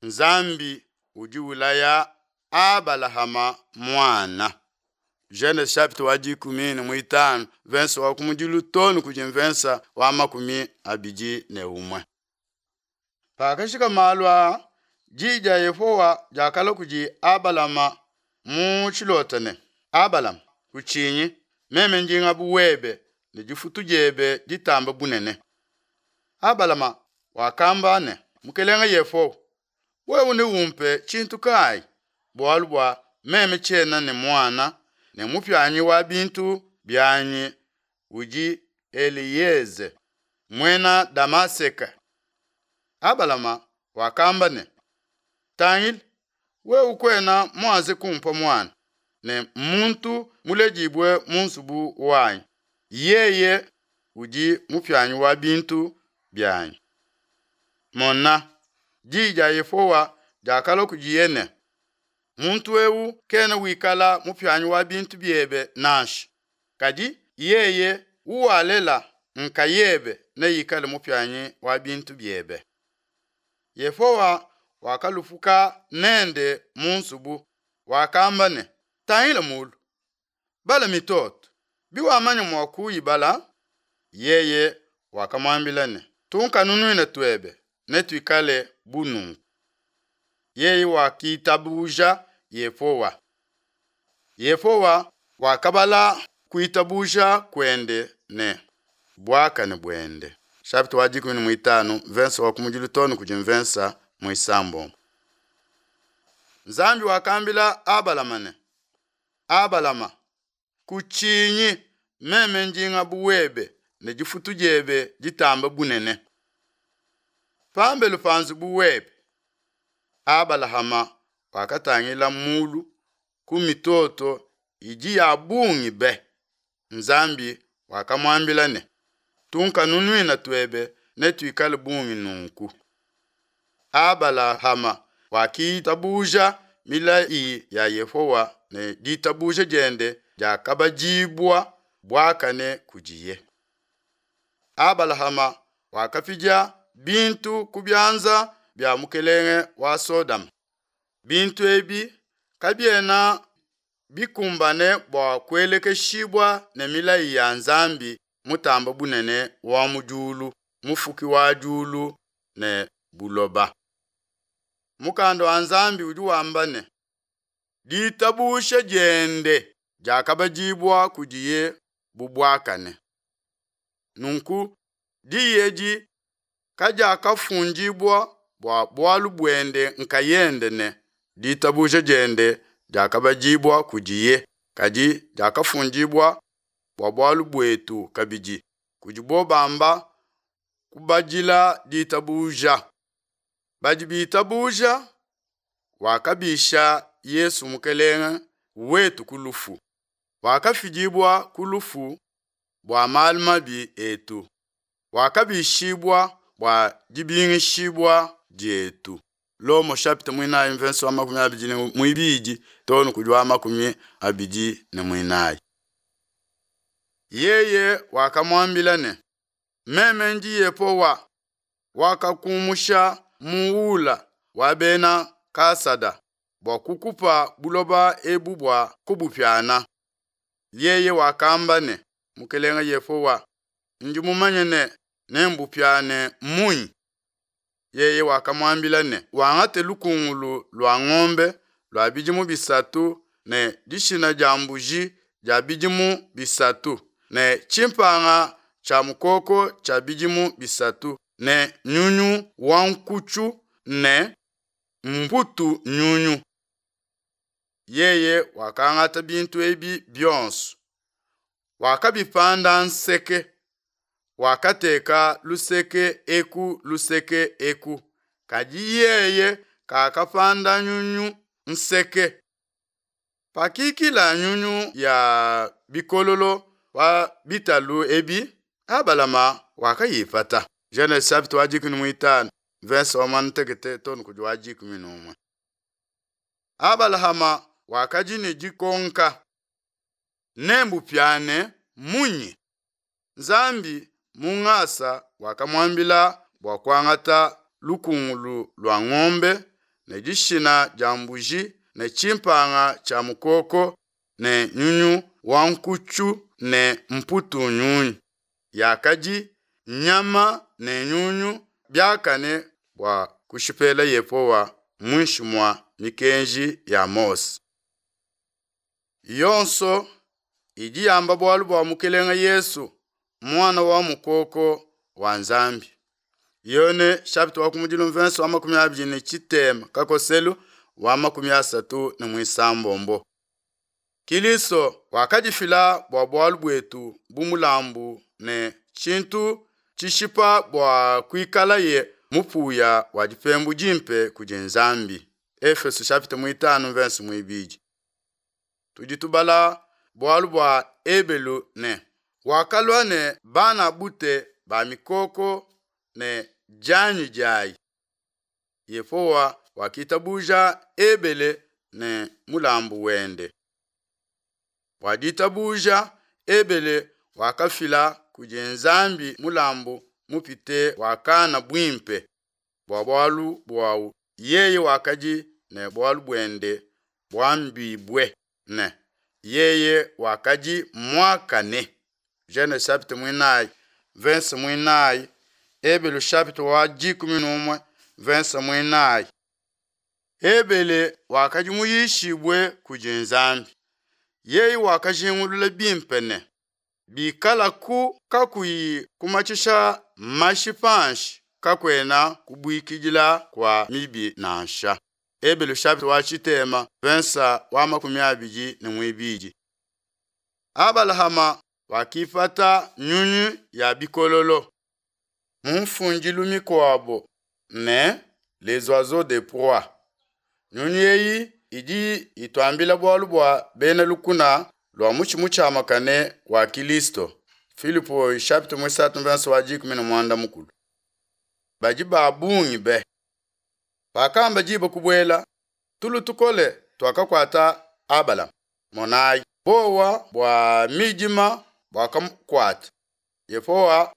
Nzambi udi ulaya Abalahama muana. Genese chapitre wa 15 verse wa kumudilu too ne kudi mvensa wa 21. Pakajika malu aa, diyi dia Yehowa diakalua kudi Abalama mu tshilota ne, Abalama, kutshinyi, meme ndi ngabu webe ne difutu diebe ditambe bunene. Abalama wakamba ne, Mukelenge Yehowa, wewe neumpe tshintu kayi, bualu bua meme tshiena ne muana, ne mupianyi wa bintu bianyi udi Eliyeze, muena Damaseke? Abalama wakamba ne, Tangila, wewe kuena muanze kumpa muana, ne muntu muledibue mu nzubu wanyi, yeye udi mupianyi wa bintu bianyi. Mona, diyi dia Yehowa diakalua kudiye ne, Muntu eu kena wikala mupianyi wa bintu biebe nansha, kadi yeye uwalela nkayebe neikale mupianyi wa bintu biebe. Yehowa wakalupuka nende mu nzubu, wakamba ne, Tangila mulu, bala mitoto, biwamanya mua kuyibala. Yeye wakamuambila ne, Tunkanunuina tuebe netuikale bu nunku. Yeye wakitabuja Yehowa. Yehowa wakabala kuitabuja kuende ne buakane buende. Chapitre wa 15 verse wa kumudilu too ne kudi mvensa muisambombo. Nzambi wakambila Abalama ne, Abalama, kutshinyi, meme ndi ngabu webe ne difutu diebe ditambe bunene. Pambelu pa nzubu webe, Abalahama wakatangila mulu ku mitoto idi ya bungi be. Nzambi wakamuambila ne, Tunkanunuina tuebe netuikale bungi nunku. Abalahama wakitabuja milayi ya Yehowa ne ditabuja diende diakabadibua buakane kudiye. Abalahama wakapidia bintu ku bianza bia mukelenge wa Sodoma. Bintu ebi kabiena bikumbane bua kuelekeshibua ne milayi ya Nzambi mutamba bunene wa mu diulu, mufuki wa diulu ne buloba. Mukanda wa Nzambi udi wamba ne, Ditabusha diende diakabadibua kudiye bu buakane. Nunku diyi edi kadiakafundibua bua bualu buende nkayende ne, ditabuja diende diakabadibua kudiye, kadi diakafundibua bua bualu buetu kabidi, kudibo bamba kubadila ditabuja. Badi bitabuja wakabisha Yesu Mukelenge wetu ku lufu, wakafidibua ku lufu bua malu mabi etu, wakabishibua bua dibingishibua dietu. Lomo chapitre muinayi mvensa wa 22 too ne kudi wa 24. Yeye wakamuambila ne, Meme ndi Yehowa wakakumusha mu Ula wa bena Kasada bua kukupa buloba ebu bua kubupiana. Yeye wakamba ne, Mukelenge Yehowa, ndi mumanye ne nembupiane munyi? Yeye wakamuambila ne, Wangate lukungulu lua ngombe lua bidimu bisatu ne dishina dia mbuji dia bidimu bisatu ne tshimpanga tshia mukoko tshia bidimu bisatu ne nyunyu wa nkutshu ne mputu nyunyu. Yeye wakangata bintu ebi bionso, wakabipanda nseke, wakateka luseke eku luseke eku, kadi yeye kakapanda nyunyu nseke. Pakikila nyunyu ya bikololo pa bitalu ebi, Abalama wakayipata. Genese chapitre wa 15 verse wa 16 too ne kudi wa 11. Abalahama wakadi ne dikonka, Nembupiane munyi? Nzambi mu ngasa wakamuambila bua kuangata lukungulu lua ngombe ne dishina dia mbuji ne tshimpanga tshia mukoko ne nyunyu wa nkutshu ne mputu nyunyu yakadi nyama ne nyunyu biakane bua kushipela Yehowa muinshi mua mikenji ya Mose. Yonso idi yamba bualu bua Mukelenge Yesu, Muana wa mukoko wa Nzambi. Yone chapitre wa kumudilu mvenso wa 23 kakoselu wa 36. Kilisto wakadifila bua bualu buetu bu mulambu ne tshintu tshishipa bua kuikalaye mupuya wa dipembu dimpe kudi Nzambi. Efeso chapitre 5 verse 2. Tudi tubala bualu bua Ebelu ne wakalua ne bana bute ba mikoko ne dianyi diayi. Yehowa wakitabuja Ebele ne mulambu wende. Bua ditabuja Ebele wakafila kudi Nzambi mulambu mupite wa Kana buimpe bua bualu buawu yeye wakadi ne bualu buende buambibue ne yeye wakadi muakane. Genese chapitre 4 verse 4, Ebelu chapitre wa 11 verse 4. Ebele wakadi muyishibue kudi Nzambi. Yeye wakajingulula bimpe ne bikalaku kakuyi kumatshisha mashi panshi kakuena kubuikidila kwa mibi nansha. Ebelu chapitre wa tshitema verse wa 22. Abalahama wakipata nyunyu ya bikololo mu mfundilu mikuabo ne les oiseaux de proie. Nyunyu eyi idi ituambila bualu bua bena lukuna lua mutshi mutshiamakane wa Kilisto. Filipo chapitre 3 verse wa 13. Badi ba bungi be. Pakamba diba kubuela tulu tukole tuakakuata Abalama. Monayi bowa bua midima buakamukuata. Yehowa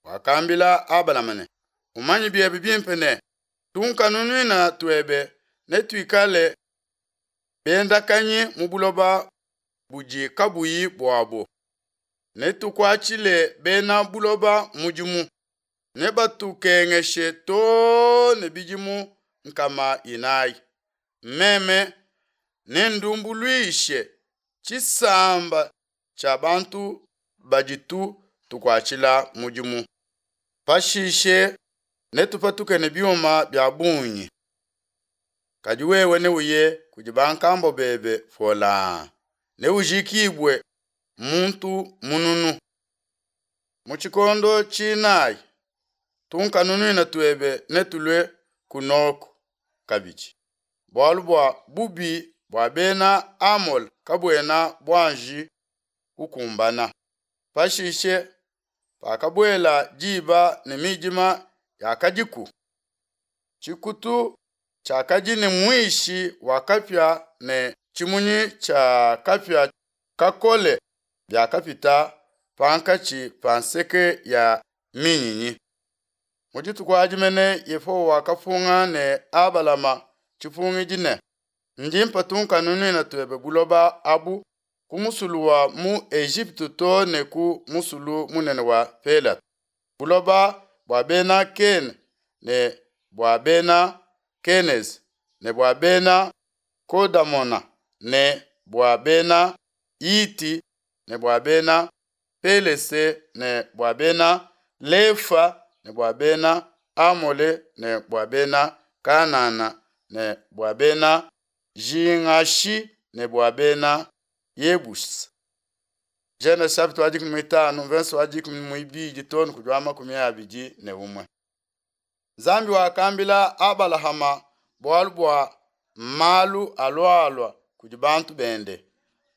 wakambila Abalama ne, umanye biebe bimpe ne tunkanunuina tuebe ne tuikale bendakanyi mu buloba budi kabuyi buabo, ne tukuatshile bena buloba mudimu, ne batukengeshe too ne bidimu 400. Meme nendumbuluishe tshisamba tshia bantu baditu tukuatshila mudimu. Pashishe netupatuke ne biuma bia bungi. Kadi wewe neuye kudi bankambo bebe pola, neujikibwe muntu mununu. Mu tshikondo tshinayi tunkanunuina tuebe netulue kunoko kabidi. Bualu bua bubi bua bena Amole kabuena buanji kukumbana. Pashishe pakabuela diba ne midima yakadiku, tshikutu tshiakadi ne muishi wa kapia ne tshimunyi tshia kapia kakole biakapita pankatshi pa nseke ya minyinyi. Mu dituku adi mene Yehowa wakapunga ne Abalama tshipungidi ne, ndi mpa tunkanunuina tuebe buloba abu ku musulu wa mu Ejipitu too ne ku musulu munene wa Pelata, buloba bua bena Kene ne bua bena Keneze ne bua bena Kodamona ne bua bena Iti ne bua bena Pelese ne bua bena Lefa ne bua bena Amole ne bua bena Kanana ne bua bena Jingashi ne bua bena Yebusi. Genese chapitre wa 15 verse wa 12 too ne kudi wa 21. Nzambi wakambila Abalahama bualu bua malu alualua kudi bantu bende,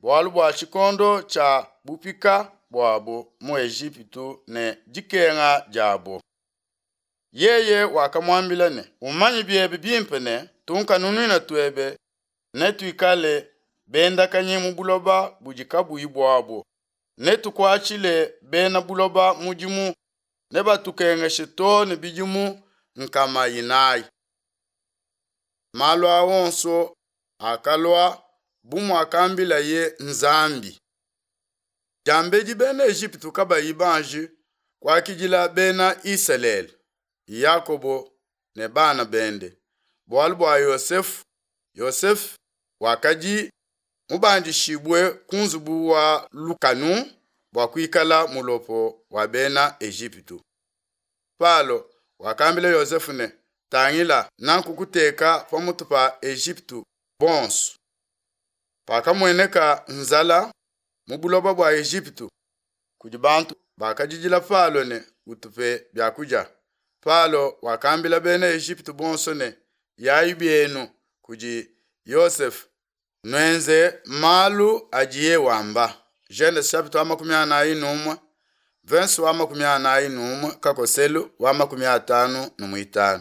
bualu bua tshikondo tshia bupika buabo mu Ejipitu ne dikenga diabo. Yeye wakamuambila ne, umanye biebe bimpe ne tunkanunuina tuebe netuikale bendakanyi mu buloba budi kabuyi buabo, netukuatshile bena buloba mudimu, nebatukengeshe too ne bidimu 400. Malu aa onso akalua bu muakambilaye Nzambi. Diambedi Bena Ejipitu kabayi banji kuakidila Bena Isalele, Yakobo ne bana bende, bualu bua Yosefe, Yosefe wakadi mubandishibue ku nzubu wa lukanu bua kuikala mulopo wa Bena Ejipitu. Palo wakambila Yosefe ne, Tangila, nakukuteka pamutu pa Ejipitu bonso. Pakamueneka nzala mu buloba bua Ejipitu kudi bantu bakadidila Palo ne, Utupe bia kudia. Palo wakambila Bena Ejipitu bonso ne, Yayi bienu kudi Yosefe, nuenze malu adiye wamba. Genese chapitre wa 41, verse wa 41 kakoselu wa 55.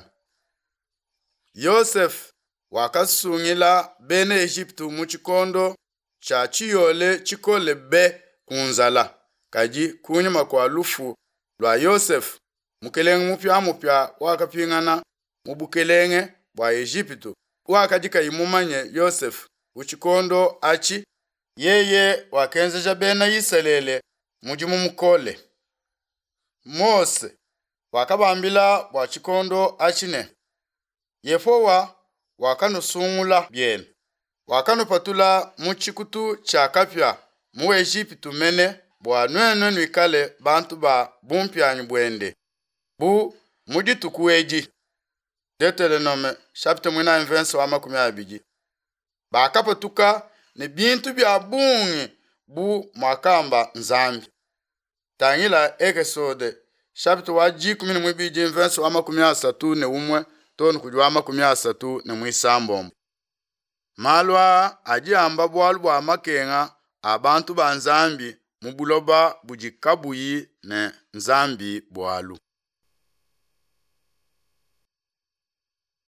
Yosefe wakasungila Bena Ejipitu mu tshikondo tshia tshiyole tshikole be ku nzala. Kadi kunyima kua lufu lua Yosefe, mukelenge mupiamupia wakapingana mu bukelenge bua Ejipitu, wakadi kayi mumanye Yosefe ku tshikondo atshi. Yeye wakenzeja Bena Isalele mudimu mukole. Mose wakabambila bua tshikondo atshi ne, Yehowa wakanusungula bienu, wakanupatula mu tshikutu tshia kapia mu Ejipitu mene bua nuenu nuikale bantu ba bumpianyi buende, bu mu dituku edi. Deuteronome chapitre 4 verse wa 20. Bakapatuka ne bintu bia bungi bu muakamba Nzambi. Tangila Ekesode chapitre wa 12 verse wa 31 too ne kudi wa 36. Malu aa adi amba bualu bua makenga a bantu ba Nzambi mu buloba budi kabuyi ne Nzambi bualu.